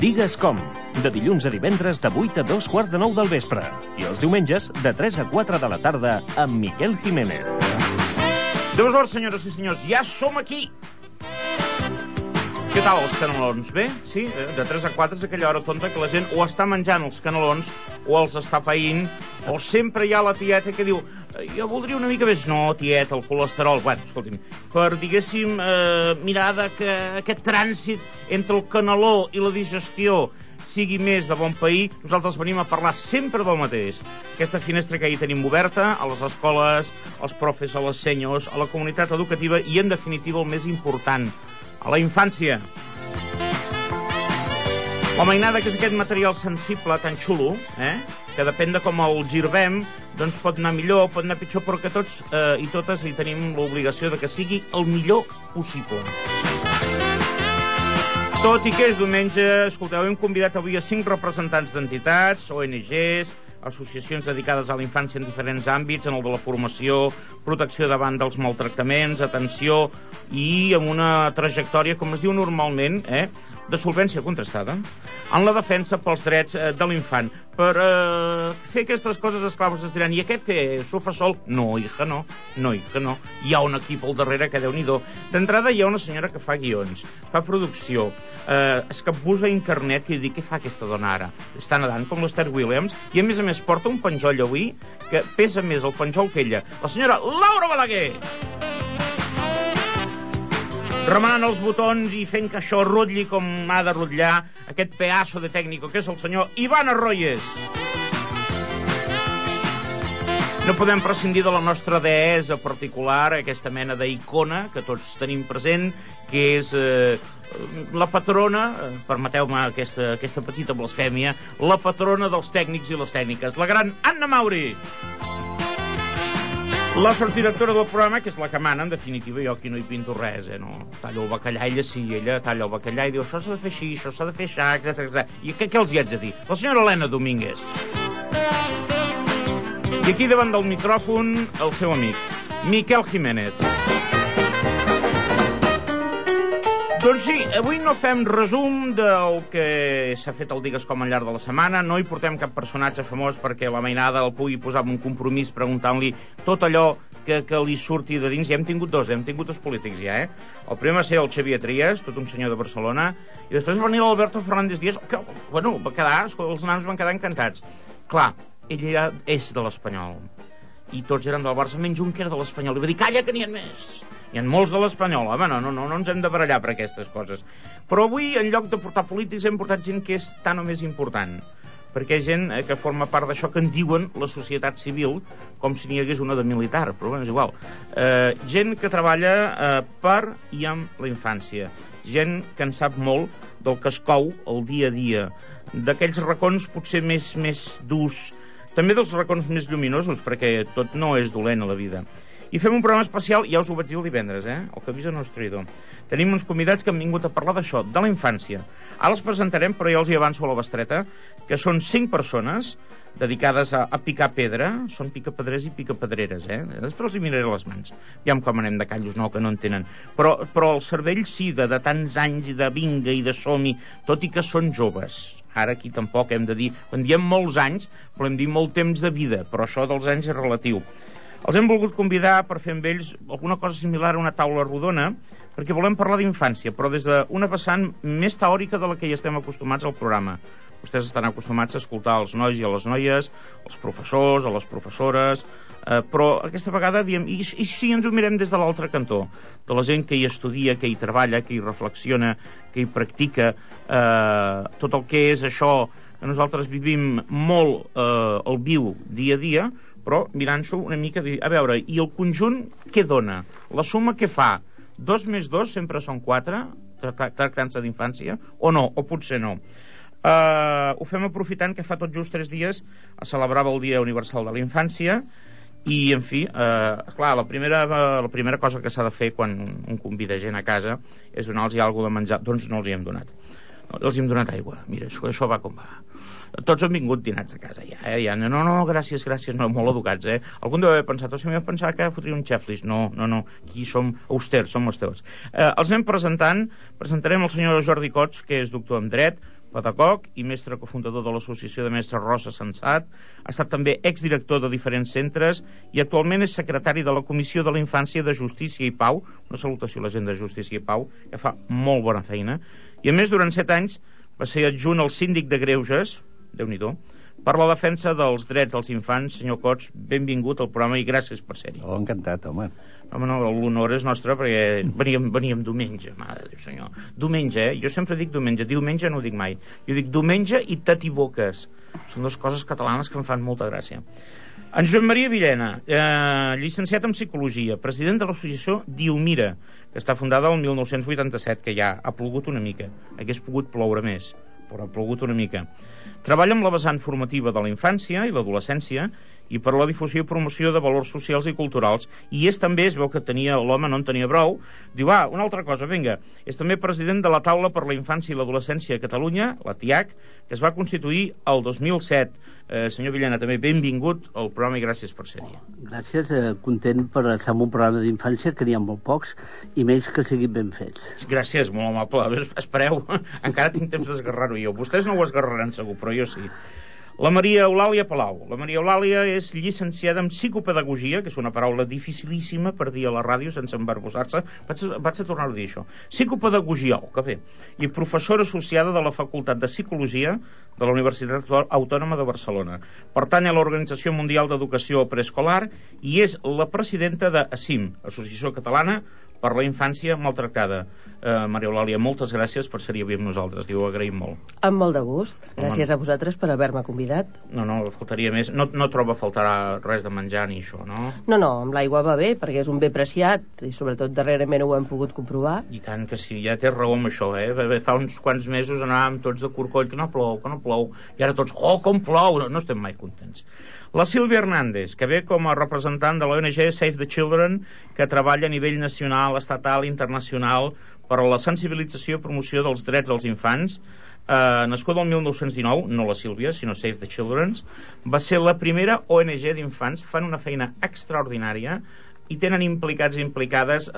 Digues com, de dilluns a divendres de 8 a 2:45 del vespre i els diumenges de 3 a 4 de la tarda amb Miquel Jiménez. Déu sort, senyores i senyors, ja som aquí! Què tal, els canelons? Bé? Sí? De 3 a 4 és aquella hora tonta que la gent o està menjant els canelons o els està païnt, o sempre hi ha la tieta que diu jo voldria una mica més. No, tieta, el colesterol. Bueno, escolti'm, per, diguéssim, mirar que aquest trànsit entre el caneló i la digestió sigui més de bon pair, nosaltres venim a parlar sempre del mateix. Aquesta finestra que ahir tenim oberta a les escoles, als profes, a les senyors, a la comunitat educativa i, en definitiva, el més important, a la infància. La mainada, que és aquest material sensible tan xulo, que depèn de com el girbem, doncs pot anar millor, pot anar pitjor, però que tots i totes hi tenim l'obligació de que sigui el millor possible. Tot i que és diumenge, escolteu, hem convidat avui a 5 representants d'entitats, ONGs, associacions dedicades a la infància en diferents àmbits, en el de la formació, protecció davant dels maltractaments, atenció i amb una trajectòria, com es diu normalment, de solvència contrastada, en la defensa pels drets de l'infant. Per fer aquestes coses, esclar, es diran, i aquest què? S'ho fa sol? No, hija, no. No, hija, no. Hi ha un equip al darrere que Déu-n'hi-do. D'entrada hi ha una senyora que fa guions, fa producció, es capbussa a internet i diu, què fa aquesta dona ara? Està nedant com l'Esther Williams i a més porta un penjoll avui que pesa més el penjoll que ella. La senyora Laura Balaguer! Remenant els botons i fent que això rotlli com ha de rotllar aquest pedaço de tècnico que és el senyor Ivan Arroyes. No podem prescindir de la nostra deessa particular, aquesta mena d'icona que tots tenim present, que és la patrona, permeteu-me aquesta petita blasfèmia, la patrona dels tècnics i les tècniques, la gran Anna Mauri. La sotsdirectora del programa, que és la que mana, en definitiva, jo aquí no hi pinto res, no? Tallo el bacallà, ella talla el bacallà i diu, això s'ha de fer així, això s'ha de fer així, etc. I què els hi haig de dir? La senyora Helena Domínguez. I aquí davant del micròfon, el seu amic, Miquel Jiménez. Doncs sí, avui no fem resum del que s'ha fet al Digues Com al llarg de la setmana, no hi portem cap personatge famós perquè la mainada el pugui posar en un compromís preguntant-li tot allò que li surti de dins. Ja hem tingut dos polítics ja, El primer va ser el Xavier Trias, tot un senyor de Barcelona, i després va venir l'Alberto Fernández Díaz, que, bueno, els nanos van quedar encantats. Clar, ell és de l'Espanyol, i tots eren del Barça, menys un que era de l'Espanyol, i va dir, calla, que n'hi ha més. Hi ha molts de l'Espanyol, home, no ens hem de barallar per aquestes coses. Però avui, en lloc de portar polítics, hem portat gent que és tan o més important, perquè gent que forma part d'això que en diuen la societat civil, com si n'hi hagués una de militar, però bueno, és igual. Gent que treballa per i amb la infància, gent que en sap molt del que es cou el dia a dia, d'aquells racons potser més durs, també dels racons més lluminosos, perquè tot no és dolent a la vida. I fem un programa especial, ja us ho vaig dir el divendres, el que avisa no és traïdor. Tenim uns convidats que han vingut a parlar d'això, de la infància. Ara els presentarem, però ja els hi avanço a la bestreta, que són 5 persones dedicades a picar pedra, són picapedrers i picapedreres, Després els hi miraré les mans. Aviam com anem de callos, no, que no en tenen. Però el cervell sí, de tants anys i de vinga i de som-hi, tot i que són joves. Ara aquí tampoc hem de dir, quan diem molts anys, volem dir molt temps de vida, però això dels anys és relatiu. Els hem volgut convidar per fer amb ells alguna cosa similar a una taula rodona, perquè volem parlar d'infància, però des d'una vessant més teòrica de la que hi estem acostumats al programa. Vostès estan acostumats a escoltar els nois i a les noies, els professors, a les professores, però aquesta vegada diem, i si ens ho mirem des de l'altre cantó, de la gent que hi estudia, que hi treballa, que hi reflexiona, que hi practica, tot el que és això que nosaltres vivim molt al viu dia a dia, però mirant-s'ho una mica, a veure, i el conjunt què dona? La suma què fa? 2 més 2 sempre són 4, tractant-se d'infància, o no, o potser no. Ho fem aprofitant que fa tot just 3 dies es celebrava el Dia Universal de la Infància i, en fi, clar, la primera cosa que s'ha de fer quan un convida gent a casa és donar-los alguna cosa de menjar. Doncs no els hi hem donat. Els hi hem donat aigua. Mira, això va com va. Tots han vingut dinats de casa ja, ja. No, gràcies, no, molt educats, Algun deu haver pensat, si m'he pensat que fotria un xeflis. No, aquí som austers, som austers. Els anem presentarem el senyor Jordi Cots, que és doctor en Dret, pedagog i mestre cofundador de l'Associació de Mestres Rosa Sensat. Ha estat també exdirector de diferents centres i actualment és secretari de la Comissió de la Infància de Justícia i Pau. Una salutació a la gent de Justícia i Pau, que fa molt bona feina. I a més, durant 7 anys va ser adjunt al síndic de Greuges, Déu-n'hi-do, per la defensa dels drets dels infants. Senyor Cots, benvingut al programa i gràcies per ser-hi. Oh, encantat, home. Home, no, l'honor és nostre perquè veníem diumenge, mare de Déu, senyor. Diumenge, Jo sempre dic diumenge. Diumenge no ho dic mai. Jo dic diumenge i t'atiboques. Són dues coses catalanes que em fan molta gràcia. En Joan Maria Villena, llicenciat en Psicologia, president de l'associació Diumira, que està fundada el 1987, que ja ha plogut una mica. Hagués pogut ploure més, però ha plogut una mica. Treballa amb la vessant formativa de la infància i l'adolescència i per la difusió i promoció de valors socials i culturals. I és també, es veu que l'home no en tenia prou, diu, una altra cosa, vinga, és també president de la Taula per la Infància i l'Adolescència a Catalunya, la TIAC, que es va constituir el 2007. Senyor Villena, també benvingut al programa i gràcies per ser-hi. Gràcies, content per estar en un programa d'infància, que n'hi ha molt pocs, i més que siguin ben fets. Gràcies, molt amable. Espereu, encara tinc temps d'esgarrar-ho jo. Vostès no ho esgarraran segur, però jo sí. La Maria Eulàlia Palau. La Maria Eulàlia és llicenciada en Psicopedagogia, que és una paraula dificilíssima per dir a la ràdio sense embarbussar-se. Vaig a tornar a dir això. Psicopedagogia, que bé. I professora associada de la Facultat de Psicologia de la Universitat Autònoma de Barcelona. Pertany a l'Organització Mundial d'Educació Preescolar i és la presidenta de ASIM, Associació Catalana per la Infància Maltractada. Maria Eulàlia, moltes gràcies per ser avui amb nosaltres, ho agraïm molt. Amb molt de gust. Gràcies a vosaltres per haver-me convidat. No, faltaria més. No troba faltarà res de menjar ni això, no? No, amb l'aigua va bé, perquè és un bé preciat, i sobretot darrerament ho hem pogut comprovar. I tant que sí, ja té raó amb això, Fa uns quants mesos anàvem tots de corcoll, que no plou, i ara tots, com plou, no estem mai contents. La Sílvia Hernández, que ve com a representant de l'ONG Save the Children, que treballa a nivell nacional, estatal i internacional per a la sensibilització i promoció dels drets dels infants. Nascuda el 1919, no la Sílvia, sinó Save the Children, va ser la primera ONG d'infants. Fan una feina extraordinària i tenen implicats i implicades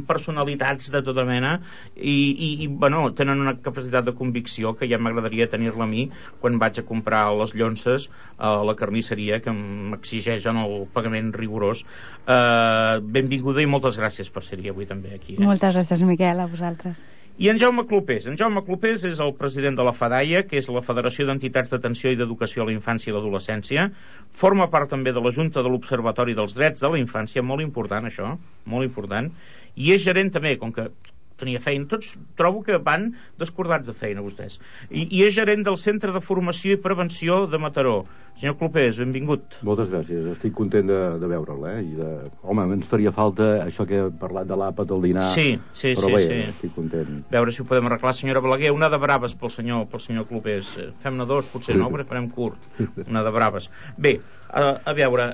personalitats de tota mena i tenen una capacitat de convicció que ja m'agradaria tenir-la a mi quan vaig a comprar les llonces a la carnisseria, que m'exigeixen el pagament rigorós. Benvinguda i moltes gràcies per ser-hi avui també aquí. Moltes gràcies, Miquel, a vosaltres. I en Jaume Clopés. En Jaume Clopés és el president de la FADAIA, que és la Federació d'Entitats d'Atenció i d'Educació a la Infància i l'Adolescència. Forma part també de la Junta de l'Observatori dels Drets de la Infància, molt important això, molt important. I és gerent també, com que tenia feina, tots trobo que van descordats de feina vostès, i és gerent del Centre de Formació i Prevenció de Mataró. Senyor Clopés, benvingut. Moltes gràcies, estic content de veure'l, Home, ens faria falta això que he parlat de l'àpat al dinar, però bé, estic content. Veure si ho podem arreglar. Senyora Balaguer, una de braves pel senyor Clopés. Fem-ne dos, potser no, però farem curt. Una de braves. Bé, a veure,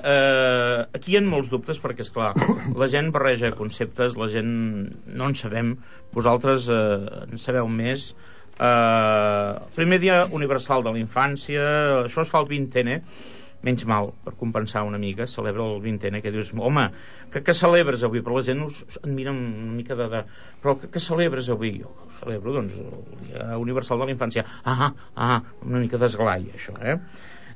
aquí hi ha molts dubtes perquè, esclar, la gent barreja conceptes, la gent no en sabem, vosaltres en sabeu més. Primer dia universal de la infància, això es fa el 20è, menys mal, per compensar una mica, celebra el 20è, que dius, home, que celebres avui? Però la gent et mira una mica però que celebres avui? Jo celebro, doncs, el dia universal de la infància. Una mica d'esglai, això,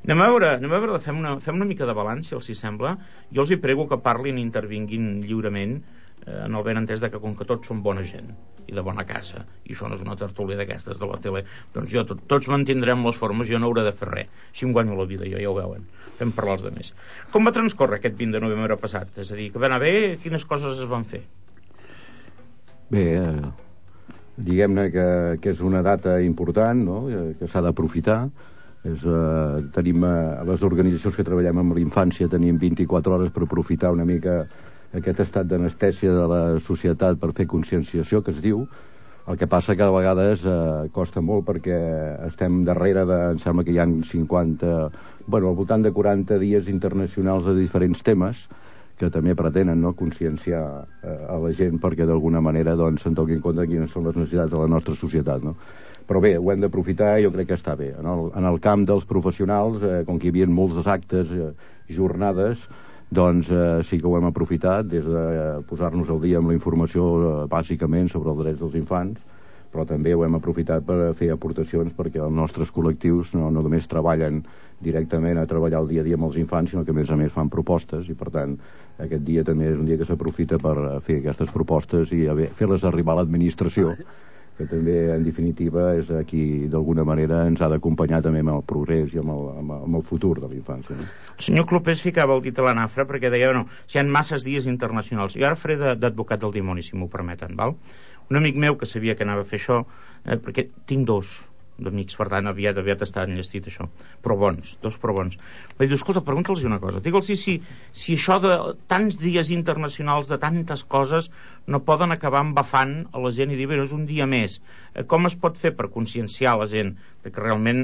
Anem a veure, fem una mica de balanç, si els hi sembla. Jo els hi prego que parlin i intervinguin lliurement, en el ben entès que com que tots som bona gent i de bona casa, i això no és una tertúlia d'aquestes de la tele, doncs tots mantindrem les formes, jo no hauré de fer res, així em guanyo la vida, ja ho veuen, fem parlar els altres. Com va transcórrer aquest 20 de novembre passat? És a dir, que va anar bé, quines coses es van fer? Bé, diguem-ne que és una data important, no?, que s'ha d'aprofitar. Tenim les organitzacions que treballem amb la infància, tenim 24 hores per aprofitar una mica aquest estat d'anestèsia de la societat per fer conscienciació, que es diu. El que passa que a vegades costa molt perquè estem darrere em sembla que hi ha 50, al voltant de 40 dies internacionals de diferents temes que també pretenen conscienciar a la gent perquè d'alguna manera se'n donin compte de quines són les necessitats de la nostra societat, no? Però bé, ho hem d'aprofitar i jo crec que està bé. En el camp dels professionals, com que hi havia molts actes, jornades, doncs sí que ho hem aprofitat des de posar-nos al dia amb la informació bàsicament sobre els drets dels infants, però també ho hem aprofitat per fer aportacions perquè els nostres col·lectius no només treballen directament a treballar el dia a dia amb els infants, sinó que a més fan propostes, i per tant aquest dia també és un dia que s'aprofita per fer aquestes propostes i fer-les arribar a l'administració, que també en definitiva és qui d'alguna manera ens ha d'acompanyar també amb el progrés i amb el futur de la infància, no? El senyor Clopés ficava el dit a la nafra perquè deia, no, si hi ha masses dies internacionals. Jo ara faré d'advocat del dimoni, si m'ho permeten, val? Un amic meu que sabia que anava a fer això, perquè tinc dos d'amics, per tant aviat està enllestit això, però bons, dos però bons. Vaig dir, escolta, pregunta'ls una cosa, digue'ls si això de tants dies internacionals, de tantes coses, no poden acabar embafant a la gent i dir, bé, és un dia més. Com es pot fer per conscienciar la gent de que realment,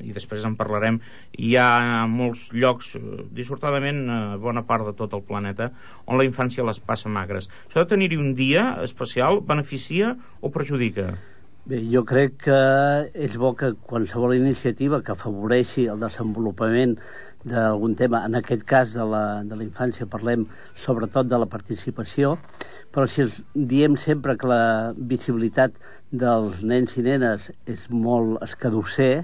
i després en parlarem, hi ha molts llocs, dissortadament bona part de tot el planeta, on la infància les passa magres. Això de tenir-hi un dia especial beneficia o perjudica? Bé, jo crec que és bo que qualsevol iniciativa que afavoreixi el desenvolupament d'algun tema, en aquest cas de la infància parlem sobretot de la participació, però si diem sempre que la visibilitat dels nens i nenes és molt escadusser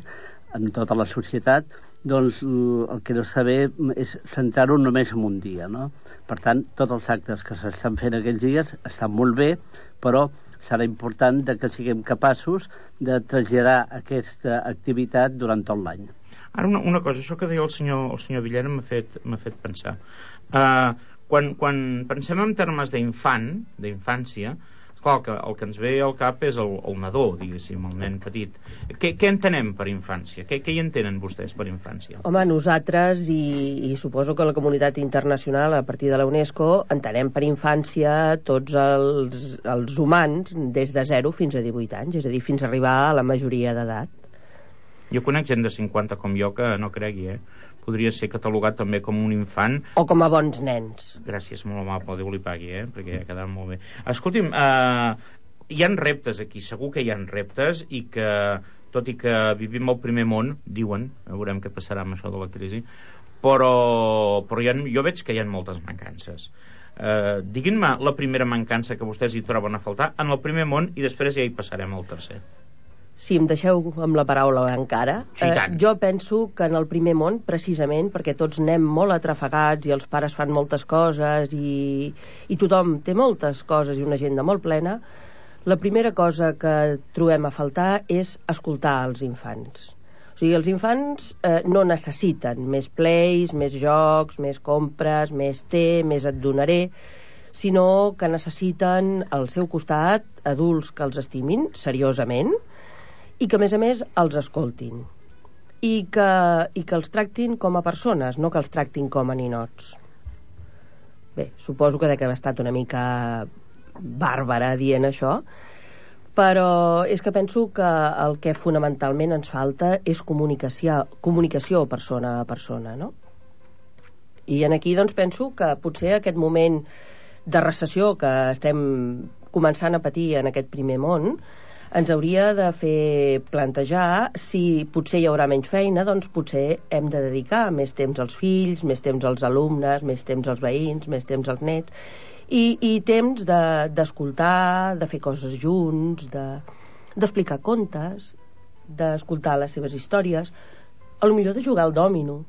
en tota la societat, doncs el que no s'ha bé és centrar-ho només en un dia, no? Per tant, tots els actes que s'estan fent aquells dies estan molt bé, però serà important que siguem capaços de traslladar aquesta activitat durant tot l'any. Ara una cosa, això que deia el senyor Villena m'ha fet pensar. Quan pensem en termes d'infància, clar, el que ens ve al cap és el nadó, diguéssim, el nen petit. Què entenem per infància? Què hi entenen vostès per infància? Home, nosaltres, i suposo que la comunitat internacional, a partir de la UNESCO, entenem per infància tots els humans des de 0 fins a 18 anys, és a dir, fins a arribar a la majoria d'edat. Jo conec gent de 50 com jo que no cregui, podria ser catalogat també com un infant. O com a bons nens. Gràcies, molt amable, Déu li pagui, perquè ha quedat molt bé. Escolti'm, hi ha reptes aquí, segur que hi ha reptes, i que, tot i que vivim al primer món, diuen, veurem què passarà amb això de la crisi, però jo veig que hi ha moltes mancances. Diguin-me la primera mancança que vostès hi troben a faltar en el primer món i després ja hi passarem al tercer. Si em deixeu amb la paraula encara, sí, jo penso que en el primer món, precisament perquè tots anem molt atrafegats i els pares fan moltes coses i tothom té moltes coses i una agenda molt plena, la primera cosa que trobem a faltar és escoltar els infants. O sigui, els infants no necessiten més plays, més jocs, més compres, més té, més et donaré, sinó que necessiten al seu costat adults que els estimin seriosament i que, a més, els escoltin. I que els tractin com a persones, no que els tractin com a ninots. Bé, suposo que dec haver estat una mica bàrbara dient això, però és que penso que el que fonamentalment ens falta és comunicació persona a persona, no? I aquí, doncs, penso que potser aquest moment de recessió que estem començant a patir en aquest primer món ens hauria de fer plantejar si potser hi haurà menys feina, doncs potser hem de dedicar més temps als fills, més temps als alumnes, més temps als veïns, més temps als nets, i temps d'escoltar, de fer coses junts, d'explicar contes, d'escoltar les seves històries, potser de jugar al dòmino.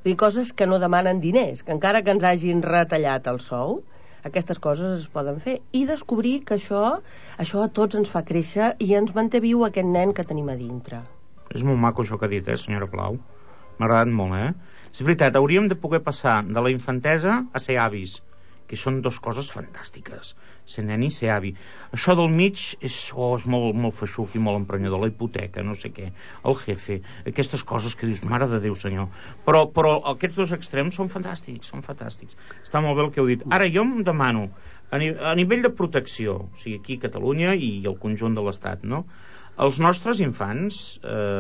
Vull dir, coses que no demanen diners, que encara que ens hagin retallat el sou, aquestes coses es poden fer, i descobrir que això a tots ens fa créixer i ens manté viu aquest nen que tenim a dintre. És molt maco això que ha dit, senyora Plau? M'ha agradat molt, És veritat, hauríem de poder passar de la infantesa a ser avis, que són dues coses fantàstiques, ser nen i ser avi. Això del mig és molt feixuc i molt emprenyador, la hipoteca, no sé què, el jefe, aquestes coses que dius, mare de Déu, senyor. Però aquests dos extrems són fantàstics. Està molt bé el que heu dit. Ara, jo em demano, a nivell de protecció, o sigui, aquí a Catalunya i el conjunt de l'Estat, no? Els nostres infants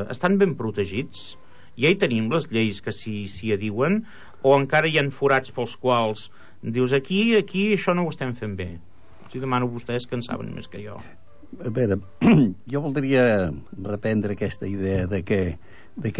estan ben protegits? Ja hi tenim les lleis que s'hi adiuen? O encara hi ha forats pels quals dius, aquí això no ho estem fent bé? Si demano a vostès que en saben més que jo. A veure, jo voldria reprendre aquesta idea de que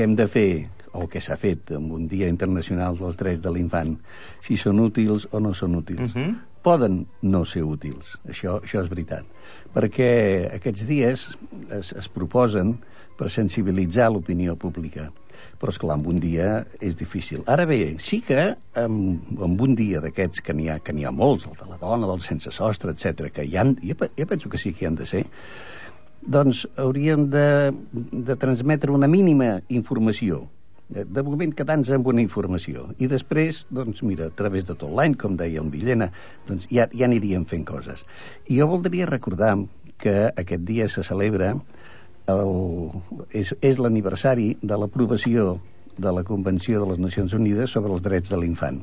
hem de fer, o que s'ha fet amb un Dia Internacional dels Drets de l'Infant, si són útils o no són útils. poden no ser útils, això és veritat, perquè aquests dies es proposen per sensibilitzar l'opinió pública, però esclar, en un dia és difícil. Ara bé, sí que en un dia d'aquests que n'hi ha molts, el de la dona, del sense sostre, etc, que jo penso que sí que hi han de ser, doncs hauríem de transmetre una mínima informació, de moment quedant-nos amb una informació, i després, doncs mira, a través de tot l'any, com deia el Villena, doncs ja aniríem fent coses. I jo voldria recordar que aquest dia se celebra és l'aniversari de l'aprovació de la Convenció de les Nacions Unides sobre els drets de l'infant.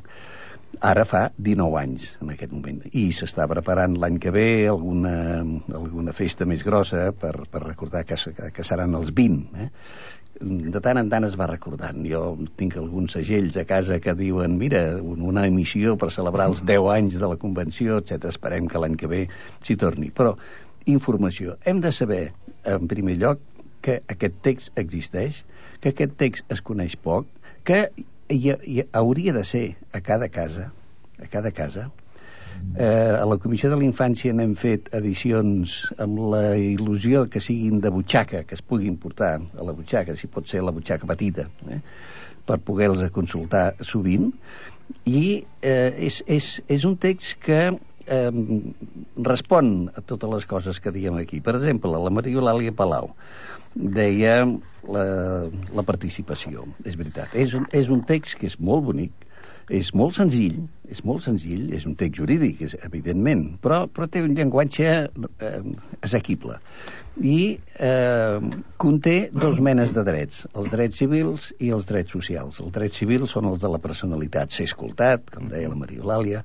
Ara fa 19 anys, en aquest moment, i s'està preparant l'any que ve alguna festa més grossa per recordar que seran els 20, De tant en tant es va recordant. Jo tinc alguns segells a casa que diuen, mira, una emissió per celebrar els 10 anys de la Convenció, etc. Esperem que l'any que ve s'hi torni. Però informació. Hem de saber, en primer lloc, que aquest text existeix, que aquest text es coneix poc, que hauria de ser a cada casa. A la Comissió de la Infància n'hem fet edicions amb la il·lusió que siguin de butxaca, que es puguin portar a la butxaca, si pot ser la butxaca petita, per poder-los consultar sovint. I és un text que respon a totes les coses que diem aquí. Per exemple, la Maria Eulàlia Palau deia la participació. És veritat. És un text que és molt bonic, és molt senzill, és un text jurídic, evidentment, però té un llenguatge assequible. I conté dos menes de drets, els drets civils i els drets socials. Els drets civils són els de la personalitat, ser escoltat, com deia la Maria Eulàlia,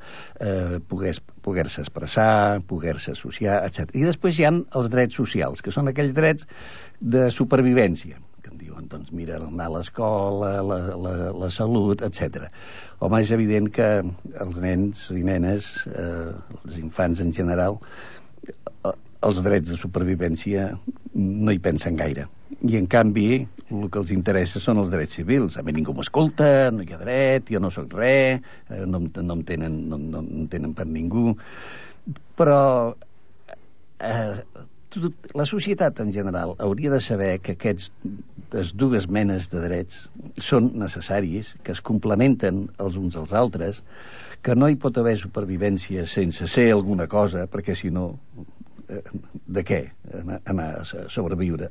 poder-se expressar, poder-se associar, etc. I després hi ha els drets socials, que són aquells drets de supervivència, que en diuen, doncs mira, anar a l'escola, la salut, etc. Home, és evident que els nens i nenes, els infants en general, els drets de supervivència no hi pensen gaire. I, en canvi, el que els interessa són els drets civils. A mi ningú m'escolta, no hi ha dret, jo no sóc res, no em tenen per ningú. Però la societat en general hauria de saber que aquestes dues menes de drets són necessaris, que es complementen els uns als altres, que no hi pot haver supervivència sense ser alguna cosa, perquè si no, de què anar a sobreviure,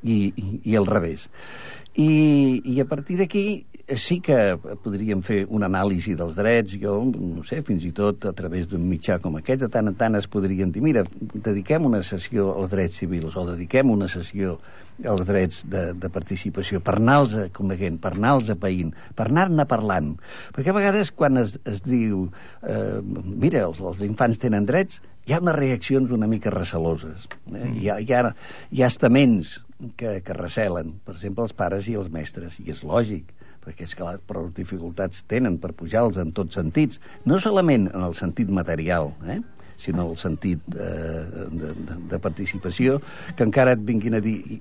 i al revés. I a partir d'aquí sí que podríem fer una anàlisi dels drets. Jo, no sé, fins i tot a través d'un mitjà com aquest, de tant en tant es podrien dir, mira, dediquem una sessió als drets civils o dediquem una sessió als drets de participació, per anar-los coneguent, per anar-los apaïnt, per anar-ne parlant. Perquè a vegades quan es diu mira, els infants tenen drets, hi ha unes reaccions una mica receloses. Hi ha estaments que recelen, per exemple, els pares i els mestres, i és lògic, perquè és clar, prou dificultats tenen per pujar-los en tots sentits, no solament en el sentit material, sinó en el sentit de participació, que encara et vinguin a dir,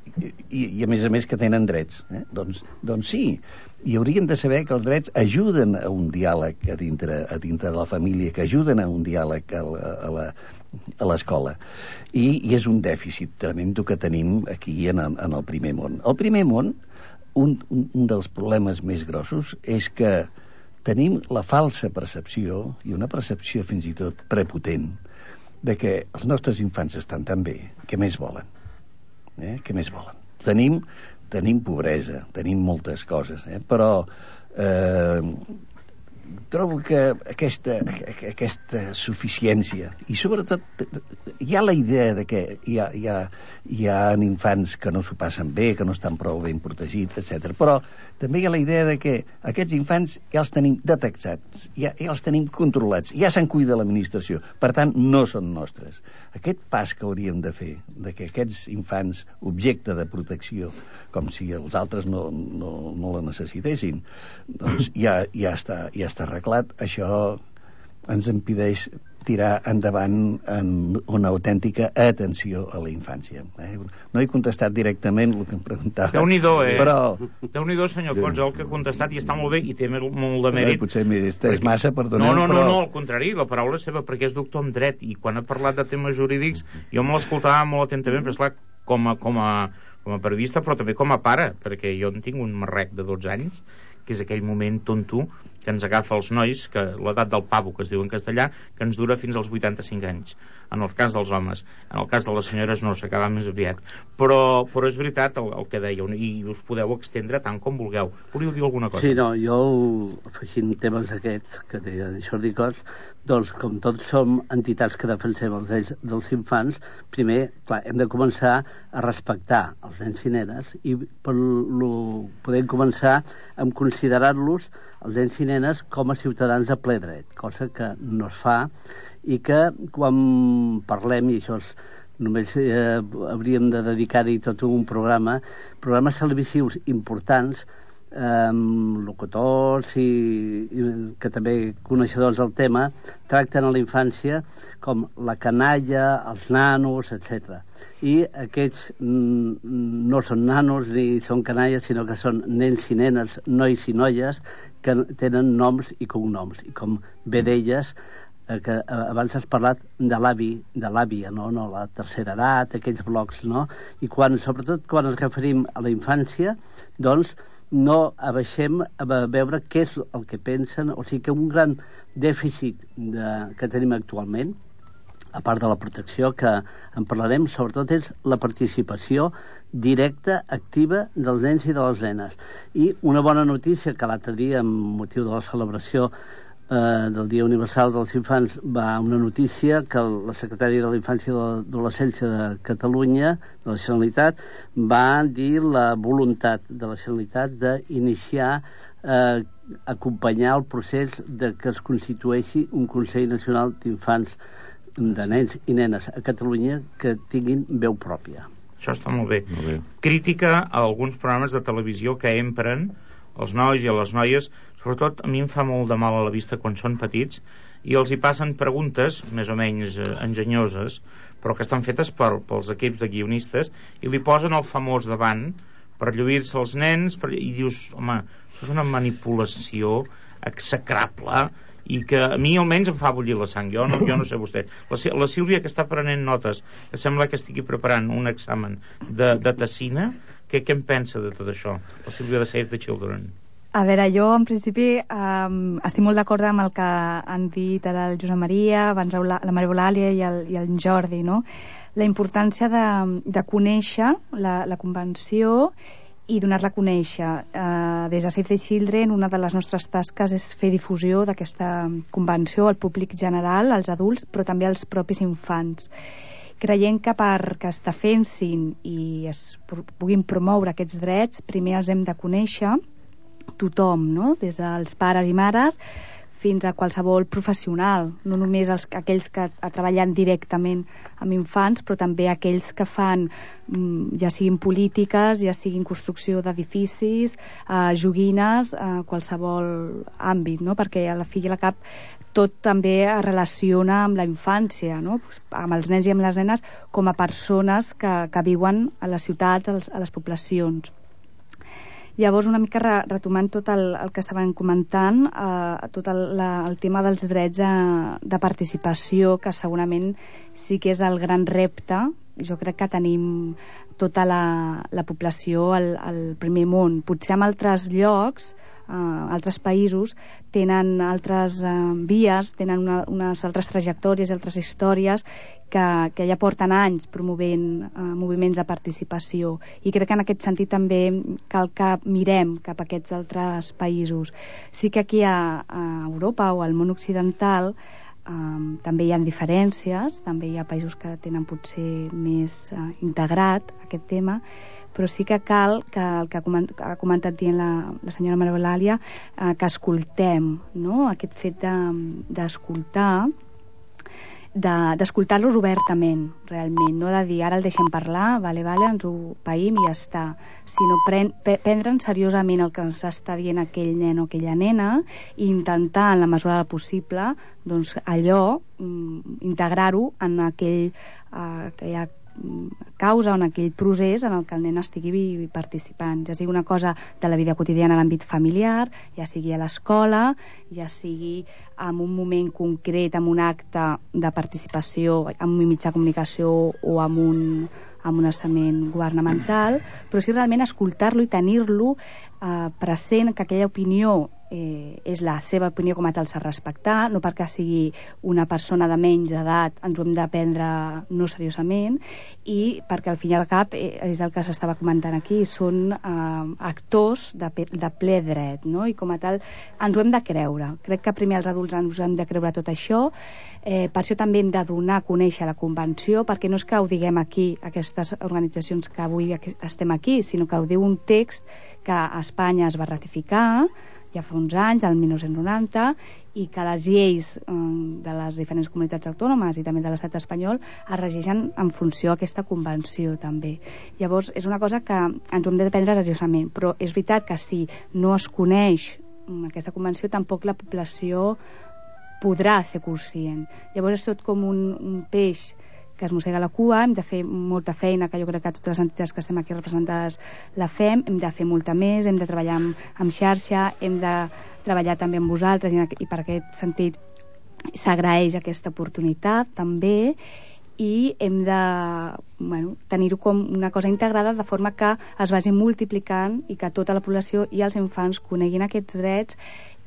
i a més que tenen drets. Doncs sí, i haurien de saber que els drets ajuden a un diàleg a dintre de la família, que ajuden a un diàleg a l'escola. I és un dèficit tremendo que tenim aquí en el primer món. El primer món, un dels problemes més grossos és que tenim la falsa percepció, i una percepció fins i tot prepotent, de que els nostres infants estan tan bé, què més volen? Què més volen? Tenim pobresa, tenim moltes coses, però trobo que aquesta suficiència, i sobretot hi ha la idea de que hi ha infants que no s'ho passen bé, que no estan prou ben protegits, etc. Però també hi ha la idea de que aquests infants ja els tenim detectats, ja els tenim controlats, ja se'n cuida l'administració, per tant no són nostres. Aquest pas que hauríem de fer, de que aquests infants, objecte de protecció, com si els altres no la necessitessin, doncs ja està arreglat. Això ens impedeix tirar endavant en una autèntica atenció a la infància. No he contestat directament el que em preguntava. Déu-n'hi-do, Però... Déu-n'hi-do, senyor Cots, el que ha contestat, i està molt bé, i té molt de mèrit. Potser és massa, perdoneu, No, al contrari, la paraula és seva, perquè és doctor en dret, i quan ha parlat de temes jurídics, jo me l'escoltava molt atentament, però esclar, com a periodista, però també com a pare, perquè jo en tinc un marrec de 12 anys, que és aquell moment tonto que ens agafa els nois, que l'edat del pavo, que es diu en castellà, que ens dura fins als 85 anys, en el cas dels homes. En el cas de les senyores no, s'acaba més aviat. Però és veritat el que dèieu, i us podeu extendre tant com vulgueu. Volíeu dir alguna cosa? Sí, no, jo, afegint temes aquests, que deia Jordi Cots, doncs, com tots som entitats que defensem els drets dels infants, primer, clar, hem de començar a respectar els nens i nenes, i podem començar amb considerar-los, els nens i nenes, com a ciutadans de ple dret, cosa que no es fa, i que quan parlem, i això només hauríem de dedicar-hi tot un programes televisius importants, locutors i que també coneixedors del tema, tracten a la infància com la canalla, els nanos, etc. I aquests no són nanos ni són canalles, sinó que són nens i nenes, nois i noies, que tenen noms i cognoms. I com bé deies, que abans has parlat de l'àvia, no? La tercera edat, aquells blocs, no? I sobretot quan ens referim a la infància, doncs no abaixem a veure què és el que pensen, o sigui que un gran dèficit que tenim actualment, a part de la protecció que en parlarem, sobretot és la participació directa, activa dels nens i de les nenes. I una bona notícia que l'altre dia, amb motiu de la celebració del Dia Universal dels Infants, va una notícia que la secretària de la Infància i de l'Adolescència de Catalunya, de la Generalitat, va dir la voluntat de la Generalitat d'iniciar, acompanyar el procés de que es constitueixi un Consell Nacional d'Infants, de nens i nenes a Catalunya, que tinguin veu pròpia. Això està molt bé. Crítica a alguns programes de televisió que empren els nois i a les noies, sobretot a mi em fa molt de mal a la vista quan són petits, i els hi passen preguntes més o menys enginyoses, però que estan fetes pels equips de guionistes, i li posen el famós davant per lluir-se els nens, i dius, home, això és una manipulació execrable, i que a mi almenys em fa bullir la sang. Jo no sé vostè. La Sílvia, que està prenent notes, que sembla que estigui preparant un examen de tessina, què en pensa de tot això? La Sílvia de Save the Children. A veure, jo en principi estic molt d'acord amb el que han dit ara el Josep Maria, abans la Maria Eulàlia i el Jordi, no? La importància de conèixer la convenció i donar-la a conèixer. Des de Save the Children, una de les nostres tasques és fer difusió d'aquesta convenció al públic general, als adults, però també als propis infants. Creiem que perquè es defensin i es puguin promoure aquests drets, primer els hem de conèixer tothom, no? Des dels pares i mares fins a qualsevol professional, no només aquells que treballen directament amb infants, però també aquells que fan, ja siguin polítiques, ja siguin construcció d'edificis, joguines, qualsevol àmbit, no? Perquè a la fi i a la cap tot també es relaciona amb la infància, no? Amb els nens i amb les nenes com a persones que viuen a les ciutats, a les poblacions. Llavors, una mica retomant tot el que estaven comentant, tot el tema dels drets de participació, que segurament sí que és el gran repte. Jo crec que tenim tota la població al primer món. Potser en altres llocs, altres països tenen altres vies, tenen unes altres trajectòries i altres històries que ja porten anys promovent moviments de participació, i crec que en aquest sentit també cal que mirem cap a aquests altres països. Sí que aquí a Europa o al món occidental també hi ha diferències, també hi ha països que tenen potser més integrat aquest tema, però sí que cal que el que ha comentat dient la senyora Maria Eulàlia, que escoltem, no? Aquest fet d'escoltar d'escoltar-los obertament, realment, no de dir ara el deixem parlar, vale, ens ho païm i ja està, sinó prendre'n seriosament el que ens està dient aquell nen o aquella nena i intentar, en la mesura del possible, doncs allò, integrar-ho en aquella causa o en aquell procés en el que el nen estigui participant, ja sigui una cosa de la vida quotidiana a l'àmbit familiar, ja sigui a l'escola, ja sigui en un moment concret, en un acte de participació, en un mitjà de comunicació o en un estament governamental, però sí realment escoltar-lo i tenir-lo present, que aquella opinió és la seva opinió, com a tal s'ha de respectar, no perquè sigui una persona de menys edat ens ho hem de prendre no seriosament, i perquè al fin i al cap és el que s'estava comentant aquí, són actors de ple dret, no? I com a tal ens ho hem de creure. Crec que primer els adults ens hem de creure tot això, per això també hem de donar a conèixer la Convenció, perquè no és que ho diguem aquí, aquestes organitzacions que avui estem aquí, sinó que ho diu un text que a Espanya es va ratificar ja fa uns anys, el 1990, i que les lleis de les diferents comunitats autònomes i també de l'estat espanyol es regeixen en funció d'aquesta convenció també. Llavors és una cosa que ens ho hem de prendre seriosament, però és veritat que si no es coneix aquesta convenció tampoc la població podrà ser conscient. Llavors és tot com un peix que es mossega la cua, hem de fer molta feina, que jo crec que totes les entitats que estem aquí representades la fem, hem de fer molta més, hem de treballar amb xarxa, hem de treballar també amb vosaltres i per aquest sentit s'agraeix aquesta oportunitat també, i hem de tenir-ho com una cosa integrada de forma que es vagi multiplicant i que tota la població i els infants coneguin aquests drets,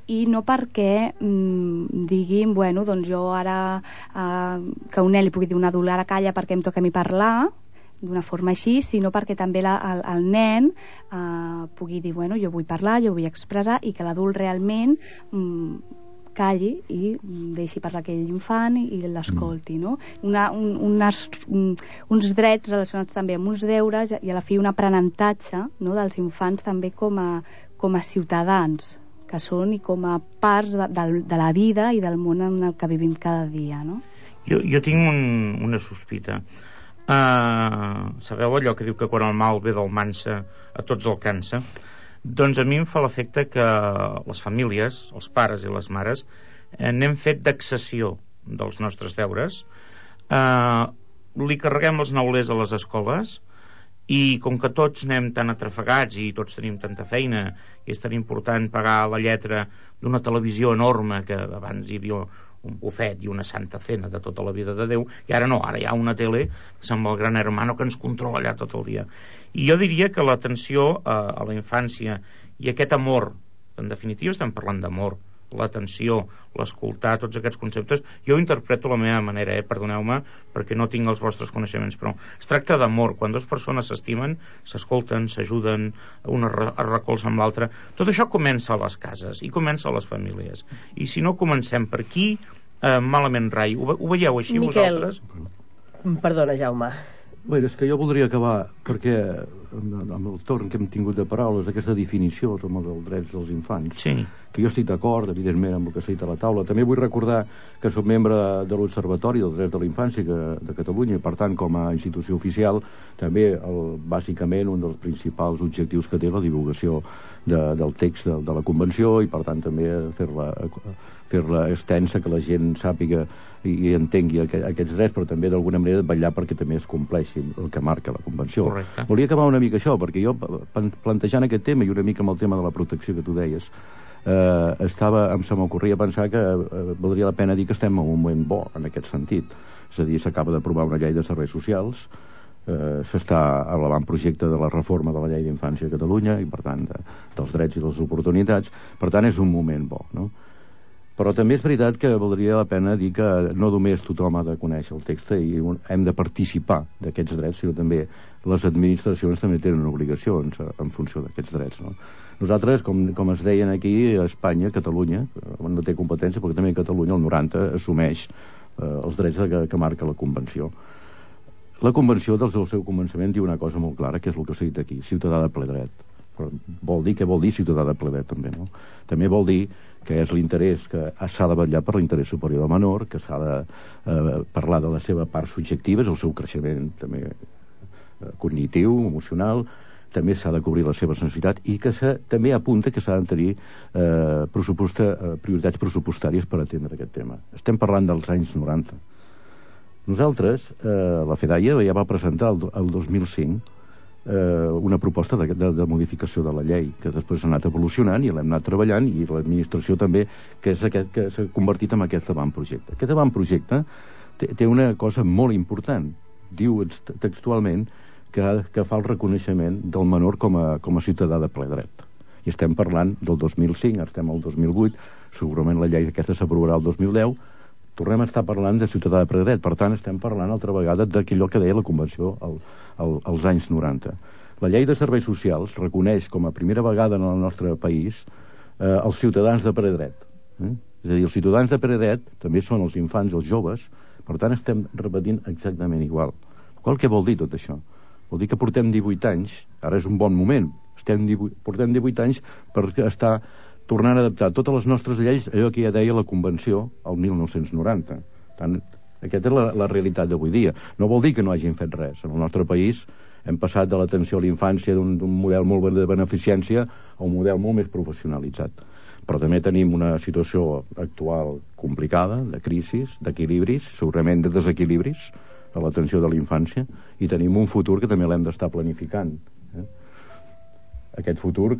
i no perquè diguin, doncs jo ara que un nen li pugui dir un adult ara calla perquè em toca a mi parlar d'una forma així, sinó perquè també el nen pugui dir, jo vull parlar, jo vull expressar, i que l'adult realment calli i deixi parlar aquell infant i l'escolti, no? Uns drets relacionats també amb uns deures i a la fi un aprenentatge, no, dels infants també com a ciutadans que són i com a parts de la vida i del món en el que vivim cada dia, no? Jo tinc una sospita. Sabeu allò que diu que quan el mal ve del mansa a tots el cansa? Doncs a mi em fa l'efecte que les famílies, els pares i les mares, n'hem fet d'excessió dels nostres deures, li carreguem els neulers a les escoles, i com que tots anem tan atrafegats i tots tenim tanta feina i és tan important pagar la lletra d'una televisió enorme, que abans hi havia un bufet i una santa cena de tota la vida de Déu, i ara no, ara hi ha una tele que sembla el gran hermano que ens controla allà tot el dia. I jo diria que l'atenció a la infància i aquest amor, en definitiva estem parlant d'amor, l'atenció, l'escoltar, tots aquests conceptes, jo ho interpreto a la meva manera, perdoneu-me, perquè no tinc els vostres coneixements, però es tracta d'amor. Quan dues persones s'estimen, s'escolten, s'ajuden, una es recolza amb l'altra. Tot això comença a les cases i comença a les famílies. I si no comencem per aquí, malament rai. Ho veieu així, Miquel, vosaltres? Perdona, Jaume. Bé, és que jo voldria acabar, perquè amb el torn que hem tingut de paraules, aquesta definició dels drets dels infants, sí, que jo estic d'acord, evidentment, amb el que s'ha dit a la taula. També vull recordar que soc membre de l'Observatori dels Drets de la Infància de Catalunya, i per tant, com a institució oficial, també, bàsicament, un dels principals objectius que té la divulgació del text de la Convenció, i per tant també fer-la extensa, que la gent sàpiga i entengui aquests drets, però també d'alguna manera vetllar perquè també es compleixi el que marca la Convenció. Correcte. Volia acabar una mica això, perquè jo, plantejant aquest tema i una mica amb el tema de la protecció que tu deies, se m'ocorria pensar que valdria la pena dir que estem en un moment bo en aquest sentit. És a dir, s'acaba d'aprovar una llei de serveis socials, s'està a l'avantprojecte de la reforma de la llei d'infància a Catalunya i per tant dels drets i de les oportunitats. Per tant és un moment bo, no? Però també és veritat que valdria la pena dir que no només tothom ha de conèixer el text i hem de participar d'aquests drets, sinó també les administracions també tenen obligacions en funció d'aquests drets, no? Nosaltres, com es deien aquí, a Espanya, Catalunya, no té competència, perquè també a Catalunya el 90 assumeix els drets que marca la Convenció. La Convenció, des del seu començament, diu una cosa molt clara, que és el que s'ha dit aquí, ciutadà de ple dret. Però què vol dir ciutadà de ple dret, també, no? També vol dir que és l'interès, que s'ha de vetllar per l'interès superior del menor, que s'ha de parlar de la seva part subjectiva, el seu creixement també cognitiu, emocional, també s'ha de cobrir les seves necessitats i que també apunta que s'ha de tenir prioritats pressupostàries per atendre aquest tema. Estem parlant dels anys 90. Nosaltres, la FEDAIA ja va presentar el 2005 una proposta de modificació de la llei, que després ha anat evolucionant i l'hem anat treballant, i l'administració també, que s'ha convertit en aquest avantprojecte. Aquest avantprojecte té una cosa molt important. Diu textualment que fa el reconeixement del menor com a ciutadà de ple dret. I estem parlant del 2005, ara estem al 2008, segurament la llei aquesta s'aprovarà el 2010, tornem a estar parlant de ciutadà de ple dret. Per tant, estem parlant altra vegada d'aquellò que deia la Convenció als anys 90. La llei de serveis socials reconeix com a primera vegada en el nostre país els ciutadans de ple dret. És a dir, els ciutadans de ple dret també són els infants i els joves, per tant estem repetint exactament igual. Què vol dir tot això? Vol dir que portem 18 anys, ara és un bon moment, portem 18 anys per estar tornant a adaptar totes les nostres lleis allò que ja deia la Convenció el 1990. Tant, aquesta és la realitat d'avui dia. No vol dir que no hagin fet res. En el nostre país hem passat de l'atenció a la infància d'un model molt de beneficència a un model molt més professionalitzat. Però també tenim una situació actual complicada, de crisis, d'equilibris, segurament de desequilibris a l'atenció de la infància, i tenim un futur que també l'hem d'estar planificant. Aquest futur,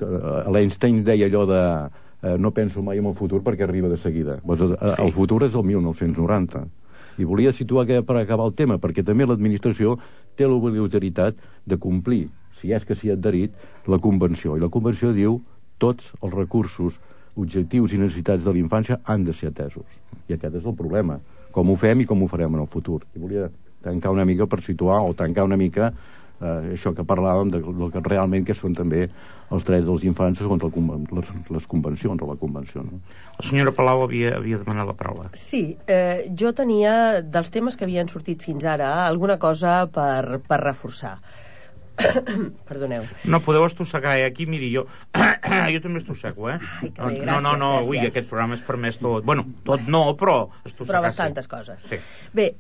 l'Einstein deia allò de no penso mai en el futur perquè arriba de seguida. El futur és el 1990. I volia situar per acabar el tema, perquè també l'administració té l'obligatorietat de complir, si és que s'hi ha adherit, la Convenció. I la Convenció diu tots els recursos, objectius i necessitats de la infància han de ser atesos. I aquest és el problema. Com ho fem i com ho farem en el futur. I volia tancar una mica per situar, o tancar una mica això que parlàvem del que realment que són també els drets dels infants segons les convencions o la convenció, no? La senyora Palau havia demanat la paraula. Sí, jo tenia dels temes que havien sortit fins ara alguna cosa per reforçar. Perdoneu. No podeu estossegar, aquí, miri, jo també estossego, Ai, que bé, gràcies. No, ui, aquest programa és permès tot. Bueno, tot no, però estossegar. Però bastantes coses. Sí. Bé,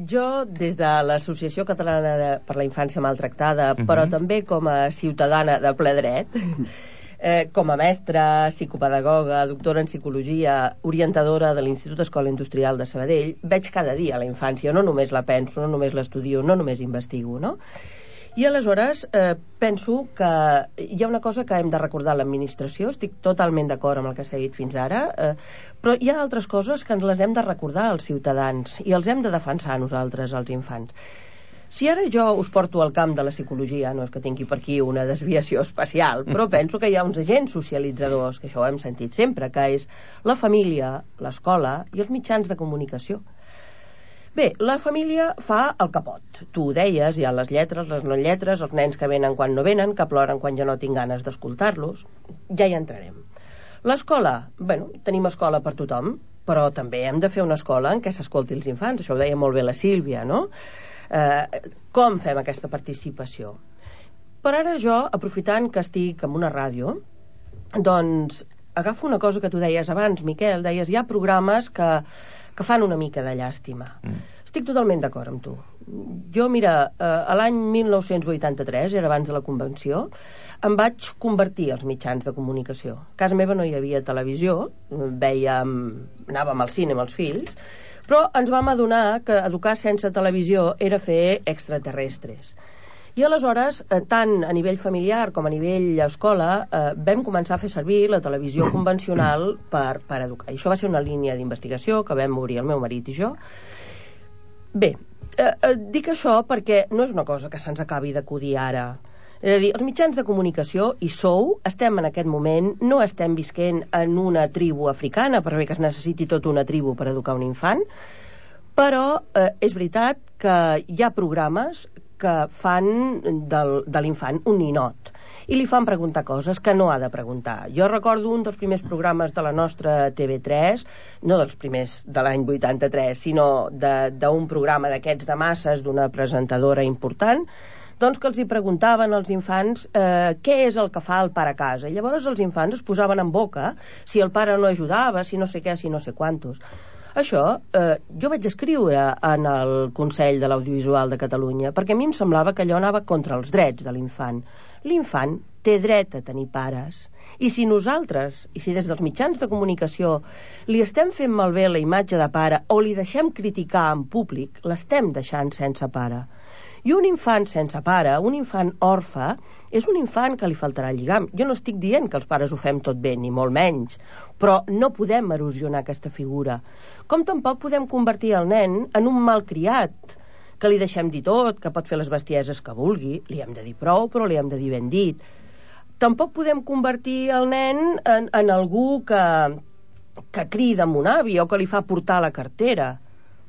jo, des de l'Associació Catalana per la Infància Maltractada, però també com a ciutadana de ple dret, com a mestra, psicopedagoga, doctora en psicologia, orientadora de l'Institut Escola Industrial de Sabadell, veig cada dia la infància, no només la penso, no només l'estudio, no només investigo, no? I aleshores penso que hi ha una cosa que hem de recordar a l'administració, estic totalment d'acord amb el que s'ha dit fins ara, però hi ha altres coses que ens les hem de recordar als ciutadans i els hem de defensar nosaltres, els infants. Si ara jo us porto al camp de la psicologia, no és que tingui per aquí una desviació especial, però penso que hi ha uns agents socialitzadors, que això ho hem sentit sempre, que és la família, l'escola i els mitjans de comunicació. Bé, la família fa el que pot. Tu ho deies, hi ha les lletres, les no lletres, els nens que venen quan no venen, que ploren quan jo no tinc ganes d'escoltar-los. Ja hi entrarem. L'escola, bueno, tenim escola per tothom, però també hem de fer una escola en què s'escolti els infants. Això ho deia molt bé la Sílvia, no? Com fem aquesta participació? Per ara jo, aprofitant que estic en una ràdio, doncs agafo una cosa que tu deies abans, Miquel, deies hi ha programes que fan una mica de llàstima. Estic totalment d'acord amb tu. Jo, mira, a l'any 1983, era abans de la Convenció, em vaig convertir als mitjans de comunicació. A casa meva no hi havia televisió, anàvem al cine amb els fills, però ens vam adonar que educar sense televisió era fer extraterrestres. I aleshores, tant a nivell familiar com a nivell escola, vam començar a fer servir la televisió convencional per educar. I això va ser una línia d'investigació que vam obrir el meu marit i jo. Bé, dic això perquè no és una cosa que se'ns acabi d'acudir ara. És a dir, els mitjans de comunicació, i estem en aquest moment, no estem visquent en una tribu africana, per bé que es necessiti tota una tribu per educar un infant, però és veritat que hi ha programes que fan de l'infant un ninot i li fan preguntar coses que no ha de preguntar. Jo recordo un dels primers programes de la nostra TV3, no dels primers de l'any 83, sinó d'un programa d'aquests de masses d'una presentadora important, doncs que els hi preguntaven als infants què és el que fa el pare a casa. I llavors els infants es posaven en boca si el pare no ajudava, si no sé què, si no sé quantos. Això jo vaig escriure en el Consell de l'Audiovisual de Catalunya, perquè a mi em semblava que allò anava contra els drets de l'infant. L'infant té dret a tenir pares. I si nosaltres, i si des dels mitjans de comunicació li estem fent malbé la imatge de pare o li deixem criticar en públic, l'estem deixant sense pare. I un infant sense pare, un infant orfe, és un infant que li faltarà el lligam. Jo no estic dient que els pares ho fem tot bé, ni molt menys, però no podem erosionar aquesta figura. Com tampoc podem convertir el nen en un malcriat, que li deixem dir tot, que pot fer les bestieses que vulgui, li hem de dir prou, però li hem de dir ben dit. Tampoc podem convertir el nen en algú que crida amb un avi o que li fa portar la cartera.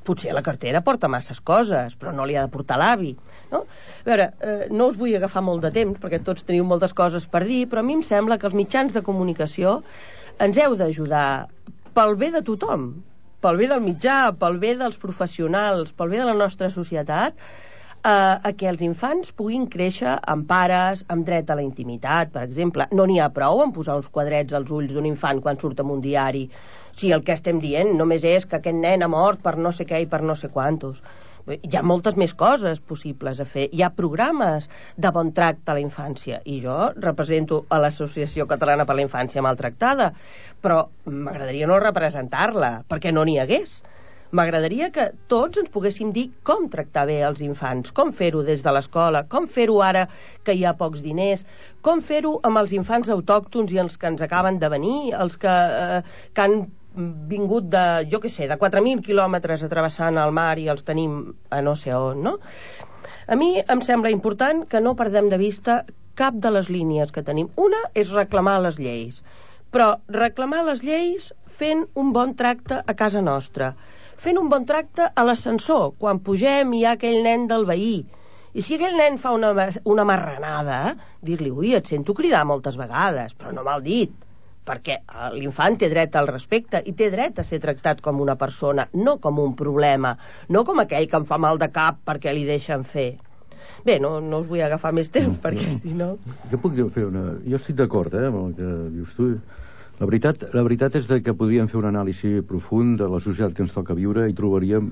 Potser la cartera porta masses coses, però no li ha de portar l'avi, no? A veure, no us vull agafar molt de temps, perquè tots teniu moltes coses per dir, però a mi em sembla que els mitjans de comunicació ens heu d'ajudar pel bé de tothom, pel bé del mitjà, pel bé dels professionals, pel bé de la nostra societat, a que els infants puguin créixer amb pares, amb dret a la intimitat, per exemple. No n'hi ha prou en posar uns quadrets als ulls d'un infant quan surt en un diari, si el que estem dient només és que aquest nen ha mort per no sé què i per no sé quantos. Hi ha moltes més coses possibles a fer. Hi ha programes de bon tracte a la infància, i jo represento a l'Associació Catalana per la Infància Maltractada, però m'agradaria no representar-la, perquè no n'hi hagués. M'agradaria que tots ens poguéssim dir com tractar bé els infants, com fer-ho des de l'escola, com fer-ho ara que hi ha pocs diners, com fer-ho amb els infants autòctons i els que ens acaben de venir, els que han vingut de, jo què sé, de 4.000 quilòmetres travessant el mar i els tenim a no sé on, no? A mi em sembla important que no perdem de vista cap de les línies que tenim. Una és reclamar les lleis, però reclamar les lleis fent un bon tracte a casa nostra, fent un bon tracte a l'ascensor, quan pugem hi ha aquell nen del veí. I si aquell nen fa una marranada, dir-li, ui, et sento cridar moltes vegades, però no mal dit, perquè l'infant té dret al respecte i té dret a ser tractat com una persona, no com un problema, no com aquell que em fa mal de cap perquè li deixen fer. Bé, no us vull agafar més temps, perquè si no... Jo puc fer una... Jo estic d'acord, amb el que dius tu. La veritat és que podríem fer un anàlisi profund de la societat que ens toca viure i trobaríem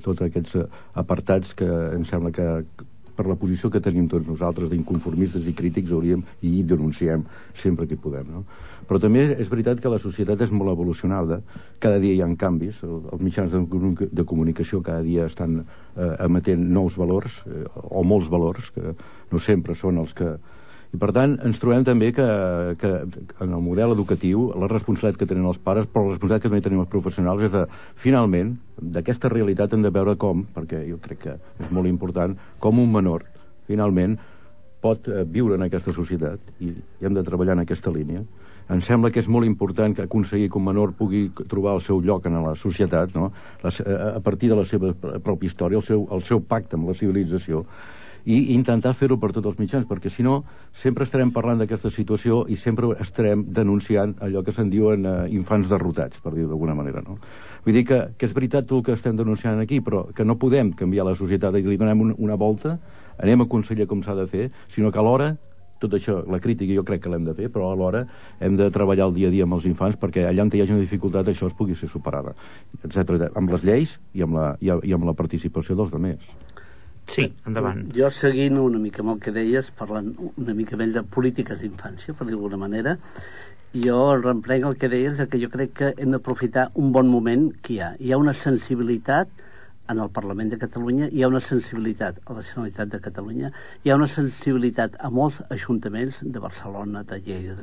tots aquests apartats que em sembla que per la posició que tenim tots nosaltres d'inconformistes i crítics hauríem i denunciem sempre que podem, no? Però també és veritat que la societat és molt evolucionada, cada dia hi ha canvis, els mitjans de comunicació cada dia estan emetent nous valors o molts valors que no sempre són els que... I per tant ens trobem també que en el model educatiu la responsabilitat que tenen els pares, però la responsabilitat que també tenim els professionals és de, finalment, d'aquesta realitat hem de veure com, perquè jo crec que és molt important, com un menor finalment pot viure en aquesta societat i hem de treballar en aquesta línia. Em sembla que és molt important que aconseguir que un menor pugui trobar el seu lloc en la societat, no? A partir de la seva pròpia història, el seu pacte amb la civilització, i intentar fer-ho per tots els mitjans, perquè si no sempre estarem parlant d'aquesta situació i sempre estarem denunciant allò que se'n diuen infants derrotats, per dir-ho d'alguna manera, no? Vull dir que és veritat tot el que estem denunciant aquí, però que no podem canviar la societat i li donem una volta, anem a aconsellar com s'ha de fer, sinó que alhora tot això, la crítica jo crec que l'hem de fer, però alhora hem de treballar el dia a dia amb els infants perquè allà on hi hagi una dificultat això es pugui ser superada, etc. Amb les lleis i amb la participació dels altres. Sí, endavant. Jo seguint una mica amb el que deies, parlant una mica més de polítiques d'infància, per dir d'alguna manera, jo reemprenc el que deies, que jo crec que hem d'aprofitar un bon moment que hi ha. Hi ha una sensibilitat en el Parlament de Catalunya, hi ha una sensibilitat a la Generalitat de Catalunya, hi ha una sensibilitat a molts ajuntaments de Barcelona, de Lleida,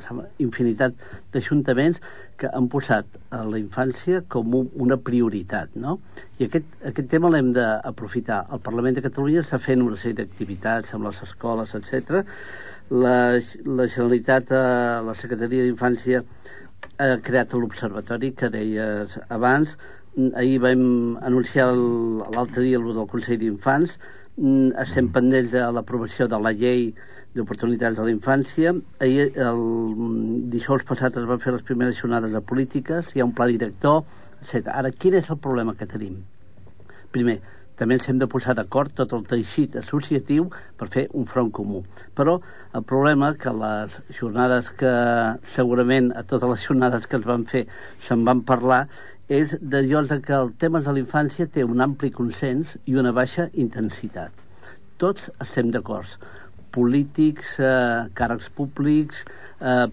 infinitat d'ajuntaments que han posat a la infància com una prioritat, no? I aquest tema l'hem d'aprofitar. El Parlament de Catalunya està fent una sèrie d'activitats amb les escoles, etc. La Generalitat, la Secretaria d'Infància ha creat l'observatori que deies abans. Ahir vam anunciar l'altre dia el del Consell d'Infants. Estem pendents de l'aprovació de la llei d'oportunitats de la infància. Ahir, el dijous passat, es van fer les primeres jornades de polítiques, hi ha un pla director, etc. Ara, quin és el problema que tenim? Primer, també ens hem de posar d'acord tot el teixit associatiu per fer un front comú. Però el problema que les jornades que segurament a totes les jornades que es van fer se'n van parlar és d'allò que el tema de la infància té un ampli consens i una baixa intensitat. Tots estem d'acord. Polítics, càrrecs públics,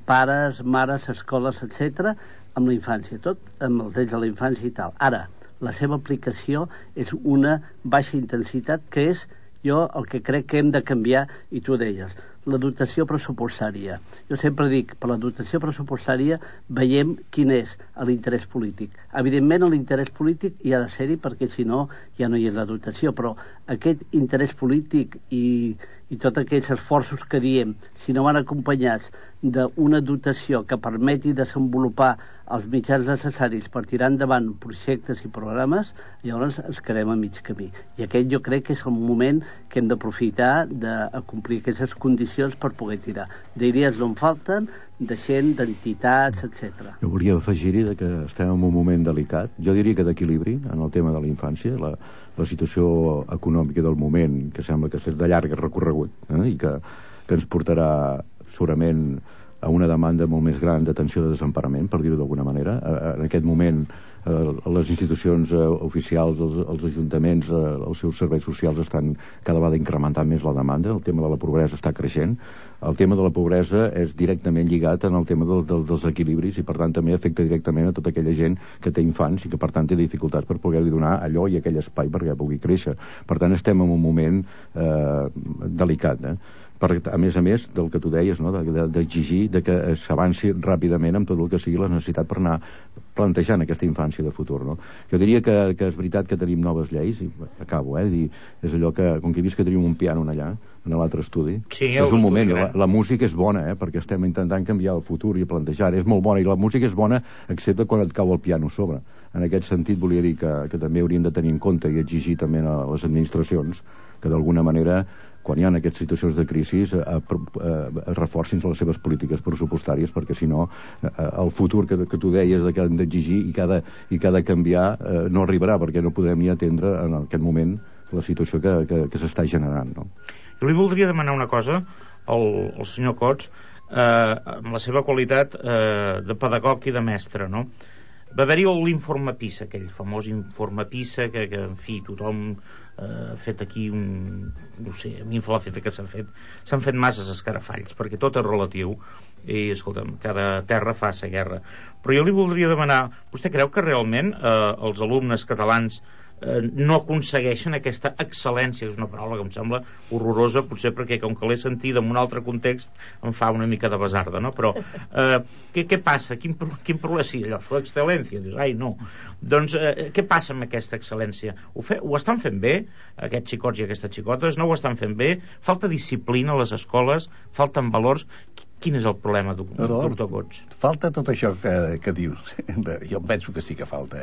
pares, mares, escoles, etc., amb la infància, tot amb els drets de la infància i tal. Ara, la seva aplicació és una baixa intensitat, que és jo el que crec que hem de canviar, i tu deies, la dotació pressupostària. Jo sempre dic, per la dotació pressupostària veiem quin és l'interès polític. Evidentment l'interès polític hi ha de ser-hi, perquè si no ja no hi és la dotació, però aquest interès polític i tots aquells esforços que diem, si no van acompanyats d'una dotació que permeti desenvolupar els mitjans necessaris per tirar endavant projectes i programes, llavors ens quedem a mig camí. I aquest jo crec que és el moment que hem d'aprofitar d'acomplir aquestes condicions per poder tirar. D'idees no en falten, de gent, d'entitats, etc. Jo volia afegir-hi que estem en un moment delicat, jo diria que d'equilibri en el tema de la infància, la situació econòmica del moment, que sembla que és de llarg recorregut, i que ens portarà segurament a una demanda molt més gran d'atenció de desemparament, per dir-ho d'alguna manera. En aquest moment les institucions oficials, els ajuntaments, els seus serveis socials estan cada vegada incrementant més la demanda. El tema de la pobresa està creixent. El tema de la pobresa és directament lligat en el tema dels equilibris i per tant també afecta directament a tota aquella gent que té infants i que per tant té dificultats per poder-li donar allò i aquell espai perquè pugui créixer. Per tant estem en un moment delicat, a més del que tu deies, no? D'exigir que s'avanci ràpidament amb tot el que sigui la necessitat per anar plantejant aquesta infància de futur, no? Jo diria que és veritat que tenim noves lleis, i acabo, és allò que, com que he vist que tenim un piano allà, en l'altre estudi, sí, és un moment, la música és bona, perquè estem intentant canviar el futur i plantejar, és molt bona, i la música és bona excepte quan et cau el piano a sobre. En aquest sentit volia dir que també hauríem de tenir en compte i exigir també a les administracions que d'alguna manera quan hi ha aquestes situacions de crisi reforcin les seves polítiques pressupostàries, perquè si no el futur que tu deies que hem d'exigir i que ha de canviar no arribarà, perquè no podrem ni atendre en aquest moment la situació que s'està generant, no? Jo li voldria demanar una cosa al senyor Cots, amb la seva qualitat de pedagog i de mestre, no? Va haver-hi l'informe PISA, aquell famós informe PISA que en fi, tothom ha fet aquí no sé, a mi em fa l'efecte que s'han fet masses escarafalls, perquè tot és relatiu i, escolta'm, cada terra fa sa guerra. Però jo li voldria demanar, vostè creu que realment els alumnes catalans no aconsegueixen aquesta excel·lència, és una paraula que em sembla horrorosa, potser perquè com que l'he sentit en un altre context em fa una mica de basarda, no? Però què passa? Quin problema? Sí, allò, su excel·lència, dius, ai no. Doncs què passa amb aquesta excel·lència? Ho estan fent bé, aquests xicots i aquestes xicotes? No ho estan fent bé? Falta disciplina a les escoles? Falten valors? Quin és el problema, doctor Cots? Falta tot això que dius. Jo penso que sí que falta,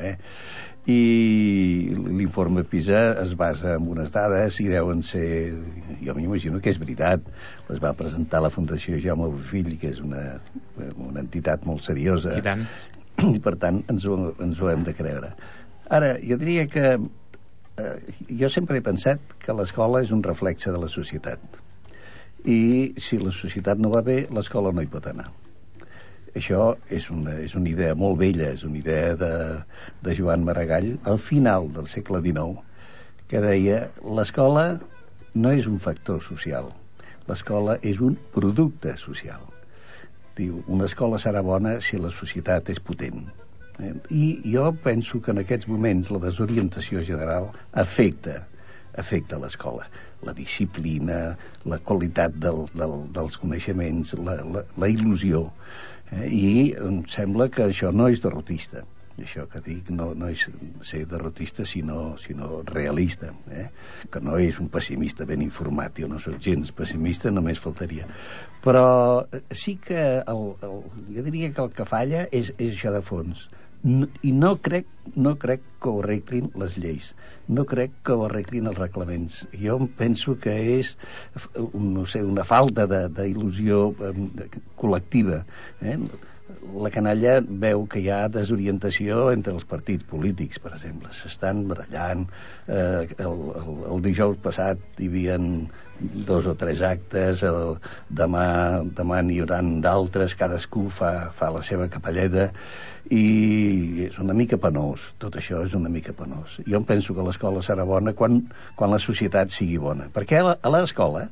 I l'informe PISA es basa en unes dades i deuen ser, jo m'imagino que és veritat, les va presentar la Fundació Jaume Bofill, que és una entitat molt seriosa, i tant. I per tant ens ho hem de creure. Ara, jo diria que jo sempre he pensat que l'escola és un reflexe de la societat, i si la societat no va bé, l'escola no hi pot anar. Això és una idea molt vella, és una idea de Joan Maragall al final del segle XIX, que deia l'escola no és un factor social, l'escola és un producte social. Diu, una escola serà bona si la societat és potent. I jo penso que en aquests moments la desorientació general afecta l'escola. La disciplina, la qualitat dels coneixements, la il·lusió. I em sembla que això no és derrotista. Això que dic no és ser derrotista sinó realista, que no és un pessimista ben informat. Jo no soc gens pessimista, només faltaria. Però sí que jo diria que el que falla és això de fons. I no crec que ho arreglin les lleis, no crec que ho arreglin els reglaments. Jo penso que és no sé, una falta d'il·lusió col·lectiva. la canalla veu que hi ha desorientació entre els partits polítics, per exemple. S'estan barallant. El dijous passat hi havia 2 o 3 actes, demà n'hi haurà d'altres, cadascú fa la seva capelleta, i és una mica penós. Tot això és una mica penós. Jo em penso que l'escola serà bona quan la societat sigui bona. Perquè a l'escola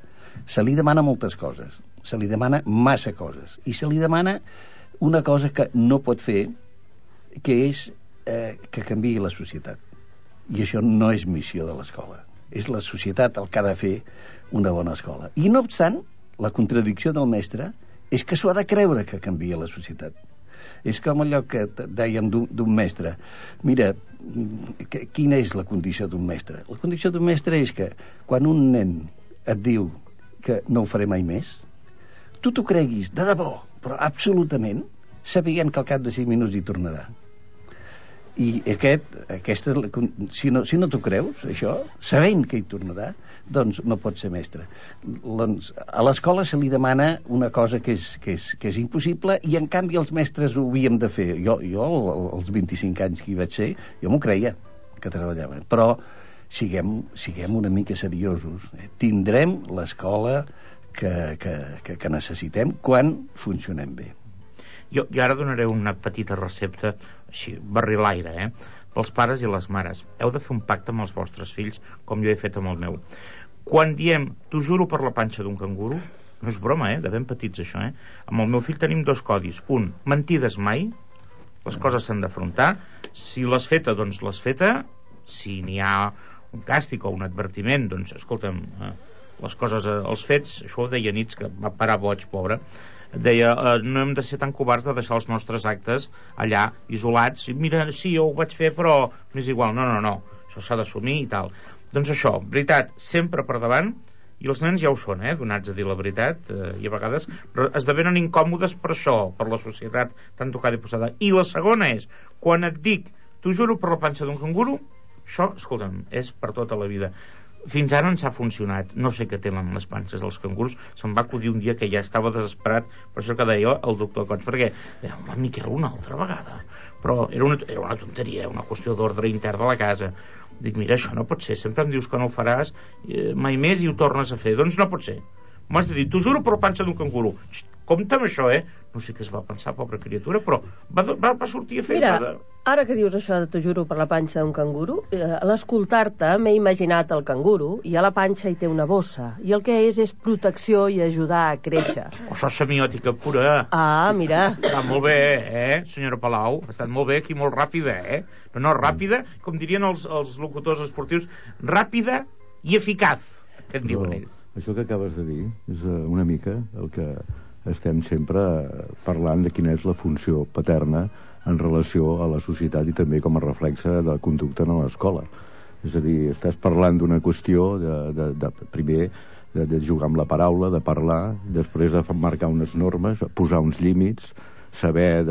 se li demana moltes coses, se li demana massa coses, i se li demana una cosa que no pot fer, que és que canviï la societat. I això no és missió de l'escola. És la societat el que ha de fer una bona escola. I no obstant, la contradicció del mestre és que s'ho ha de creure que canvia la societat. És com allò que dèiem d'un mestre. Mira, quina és la condició d'un mestre? La condició d'un mestre és que quan un nen et diu que no ho faré mai més, tu t'ho creguis de debò, però absolutament, sabent que al cap de 5 minuts hi tornarà. I si no t'ho creus, això, sabent que hi tornarà, doncs no pots ser mestre. A l'escola se li demana una cosa que és impossible, i en canvi els mestres ho havíem de fer. Jo als 25 anys que hi vaig ser, jo m'ho creia, que treballaven. Però siguem una mica seriosos. Tindrem l'escola que necessitem quan funcionem bé. Jo ara donaré una petita recepta, així, barrilaire, pels pares i les mares. Heu de fer un pacte amb els vostres fills, com jo he fet amb el meu. Quan diem, t'ho juro per la panxa d'un canguro, no és broma, de ben petits això, Amb el meu fill tenim 2 codis. Un, mentides mai, les coses s'han d'afrontar. Si l'has feta, doncs l'has feta. Si n'hi ha un càstig o un advertiment, doncs, escolta'm, les coses, els fets, això ho deia Nietzsche, que va parar boig, pobre, deia, no hem de ser tan covards de deixar els nostres actes allà, isolats, i mira, sí, jo ho vaig fer, però m'és igual. No, això s'ha d'assumir i tal. Doncs això, veritat, sempre per davant, i els nens ja ho són, donats a dir la veritat, i a vegades esdevenen incòmodes per això, per la societat tan tocada i posada. I la segona és, quan et dic, t'ho juro per la panxa d'un canguro, això, escolta'm, és per tota la vida. Fins ara ens ha funcionat. No sé què tenen les panses dels cangurs. Se'm va acudir un dia que ja estava desesperat per això que deia el doctor Cots, perquè home, Miquel, una altra vegada. Però era una tonteria, una qüestió d'ordre intern de la casa. Dic, mira, això no pot ser, sempre em dius que no ho faràs mai més i ho tornes a fer. Doncs no pot ser. M'has de dir, t'ho juro per la panxa d'un canguro. Compte amb això, No sé què es va pensar, pobra criatura, però va sortir a fer... Mira, ara que dius això de t'ho juro per la panxa d'un canguro, a l'escoltar-te m'he imaginat el canguro, i a la panxa hi té una bossa, i el que és protecció i ajudar a créixer. Això és semiòtica pura. Ah, mira. Està molt bé, senyora Palau? Ha estat molt bé aquí, molt ràpida, No, ràpida, com dirien els locutors esportius, ràpida i eficaç, que en diuen ells. Això que acabes de dir és una mica el que estem sempre parlant de quina és la funció paterna en relació a la societat i també com a reflexe de conducta en l'escola. És a dir, estàs parlant d'una qüestió primer de jugar amb la paraula, de parlar, després de marcar unes normes, posar uns límits, saber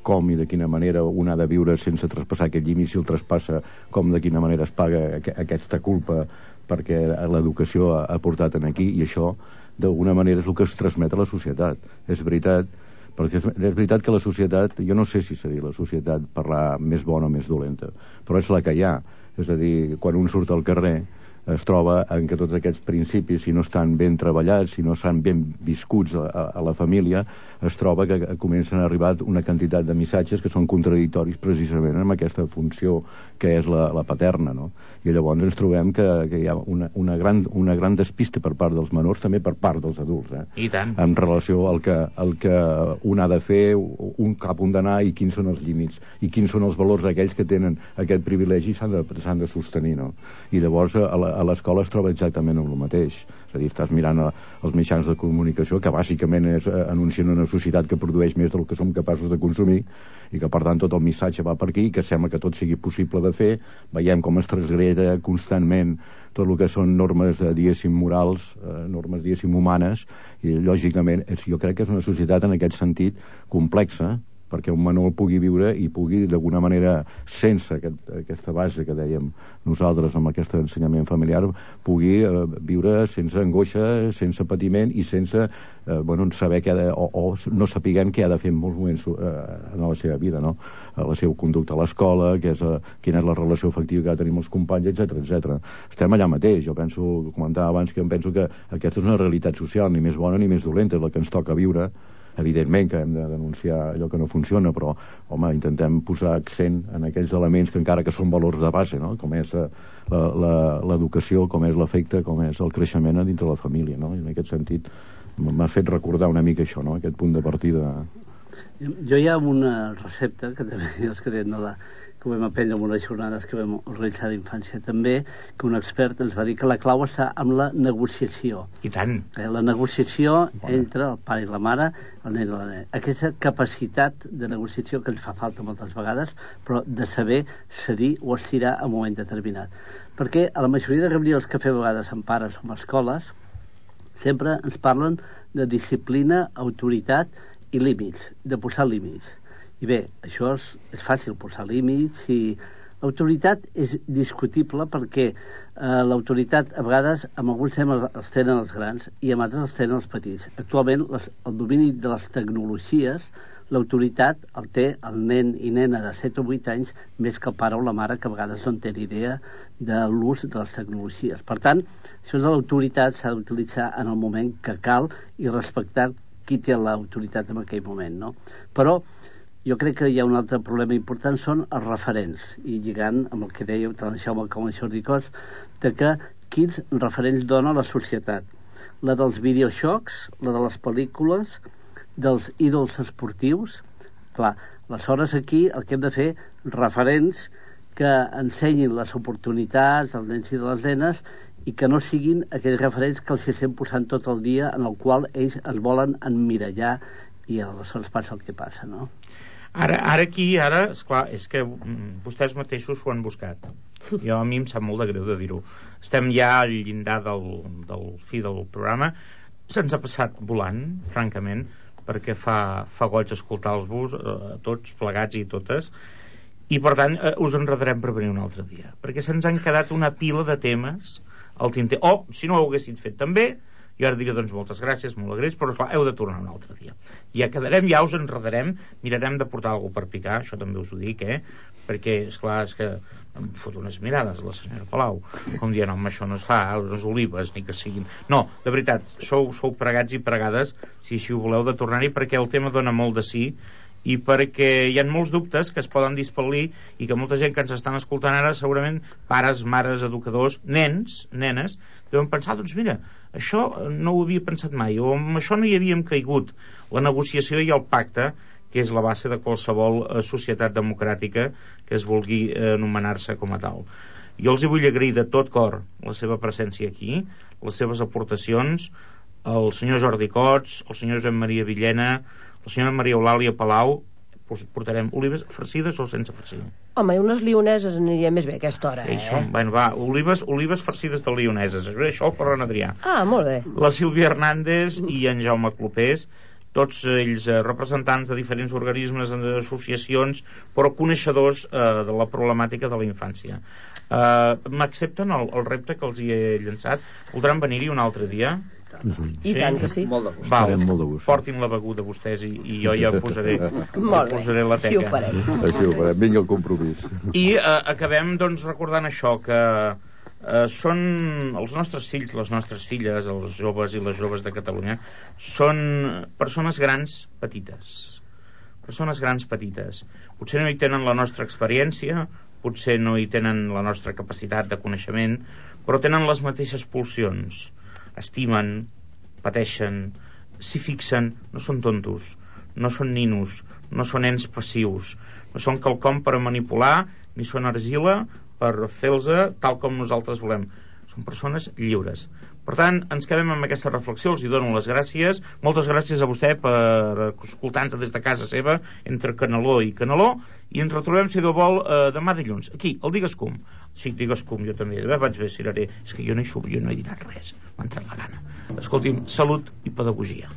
com i de quina manera un ha de viure sense traspassar aquest límit, si el traspassa, com de quina manera es paga aquesta culpa perquè l'educació ha portat aquí, i això d'alguna manera és el que es transmet a la societat. És veritat, perquè és veritat que la societat, jo no sé si seria la societat parlar més bona o més dolenta, però és la que hi ha. És a dir, quan un surt al carrer es troba en que tots aquests principis, si no estan ben treballats, si no estan ben viscuts a la família, es troba que comencen a arribar una quantitat de missatges que són contradictoris precisament amb aquesta funció que és la paterna, no? I llavors ens trobem que hi ha una gran despista per part dels menors, també per part dels adults, I tant. En relació al que un ha de fer, cap on d'anar i quins són els límits, i quins són els valors aquells que tenen aquest privilegi i s'han de sostenir, no? I llavors a l'escola es troba exactament amb el mateix. És a dir, estàs mirant els mitjans de comunicació, que bàsicament anuncien una societat que produeix més del que som capaços de consumir, i que per tant tot el missatge va per aquí, que sembla que tot sigui possible de fer. Veiem com es transgreda constantment tot el que són normes, diguéssim, morals, normes, diguéssim, humanes, i lògicament jo crec que és una societat en aquest sentit complexa, perquè un menor pugui viure i pugui d'alguna manera, sense aquesta base que dèiem nosaltres amb aquest ensenyament familiar, pugui viure sense angoixa, sense patiment i sense saber què ha de, o no sapiguem què ha de fer en molts moments en la seva vida, no? La seva conducta a l'escola, quina és la relació afectiva que ha de tenir amb els companys, etc. Estem allà mateix. Jo comentava abans que em penso que aquesta és una realitat social, ni més bona ni més dolenta, és la que ens toca viure. Evidentment que hem de denunciar allò que no funciona, però, home, intentem posar accent en aquells elements que encara que són valors de base, no? Com és l'educació, com és l'afecte, com és el creixement dintre la família, no? I en aquest sentit m'ha fet recordar una mica això, no? Aquest punt de partida. Jo hi ha una recepta, que també els que tenen que ho vam aprendre en unes jornades que vam realitzar d'infància també, que un expert ens va dir que la clau està amb la negociació. I tant. La negociació entre el pare i la mare, el nen i la nena. Aquesta capacitat de negociació que ens fa falta moltes vegades, però de saber cedir o estirar en un moment determinat. Perquè a la majoria de reunions que fem a vegades amb pares o amb escoles, sempre ens parlen de disciplina, autoritat i límits, de posar límits. I bé, això és fàcil, posar límits, i l'autoritat és discutible perquè l'autoritat a vegades amb alguns temes els tenen els grans i amb altres els tenen els petits. Actualment el domini de les tecnologies, l'autoritat el té el nen i nena de 7 o 8 anys més que el pare o la mare, que a vegades no en té idea de l'ús de les tecnologies. Per tant, això de l'autoritat s'ha d'utilitzar en el moment que cal i respectar qui té l'autoritat en aquell moment, no? Però jo crec que hi ha un altre problema important, són els referents, i lligant amb el que dèieu tant el Jaume com el Jordi Cos, de que quins referents dona la societat. La dels videojocs, la de les pel·lícules, dels ídols esportius. Clar, aleshores aquí el que hem de fer, referents que ensenyin les oportunitats dels nens i de les nenes i que no siguin aquells referents que els estem posant tot el dia, en el qual ells es volen emmirallar i aleshores passa el que passa, no? Ara, esclar, és que vostès mateixos ho han buscat. A mi em sap molt de greu de dir-ho. Estem ja al llindar del fi del programa. Se'ns ha passat volant, francament, perquè fa goig escoltar-vos tots plegats i totes, i per tant us enredarem per venir un altre dia, perquè se'ns han quedat una pila de temes al tinter. O, si no ho haguessin fet també, jo ara diré, doncs, moltes gràcies, molt agraïts, però esclar, heu de tornar un altre dia. Ja quedarem, ja us enredarem, mirarem de portar alguna per picar, això també us ho dic, perquè, esclar, és que em fot unes mirades la senyora Palau, com dient, home, això no es fa, les olives, ni que siguin... No, de veritat, sou pregats i pregades, si així ho voleu, de tornar-hi, perquè el tema dona molt de sí, i perquè hi ha molts dubtes que es poden dispel·lir i que molta gent que ens estan escoltant ara, segurament pares, mares, educadors, nens, nenes, deuen pensar, doncs mira, això no ho havia pensat mai, o amb això no hi havíem caigut. La negociació i el pacte, que és la base de qualsevol societat democràtica que es vulgui anomenar-se com a tal. Jo els hi vull agrair de tot cor la seva presència aquí, les seves aportacions, el senyor Jordi Cots, el senyor Josep Maria Villena, la senyora Maria Eulàlia Palau. Portarem olives farcides o sense farcir? Home, i unes lioneses aniria més bé a aquesta hora, Bueno, va, olives farcides de lioneses, això per en Adrià. Ah, molt bé. La Sílvia Hernández i en Jaume Clopés, tots ells representants de diferents organismes, associacions, però coneixedors de la problemàtica de la infància. M'accepten el repte que els hi he llançat? Voldran venir-hi un altre dia? I tant que sí. Molt de gust. Molt de gust. Portin la beguda vostès i jo ja posaré la teca. Així ho farem. Així ho farem. Vinga el compromís. I acabem, doncs, recordant això, que són els nostres fills, les nostres filles, els joves i les joves de Catalunya, són persones grans petites. Persones grans petites. Potser no hi tenen la nostra experiència, potser no hi tenen la nostra capacitat de coneixement, però tenen les mateixes pulsions. Estimen, pateixen, s'hi fixen, no són tontos, no són ninos, no són nens passius, no són quelcom per manipular, ni són argila per fer-los tal com nosaltres volem. Són persones lliures. Per tant, ens quedem amb aquesta reflexió, els hi dono les gràcies. Moltes gràcies a vostè per escoltar-nos des de casa seva, entre Canaló i Canaló, i ens retrobem, si Déu vol, demà dilluns, aquí, al Digues-Com. Sí, Digues-Com, jo també, vaig bé, cireré. És que jo no hi he dit res, m'ha entrat la gana. Escolti'm, salut i pedagogia.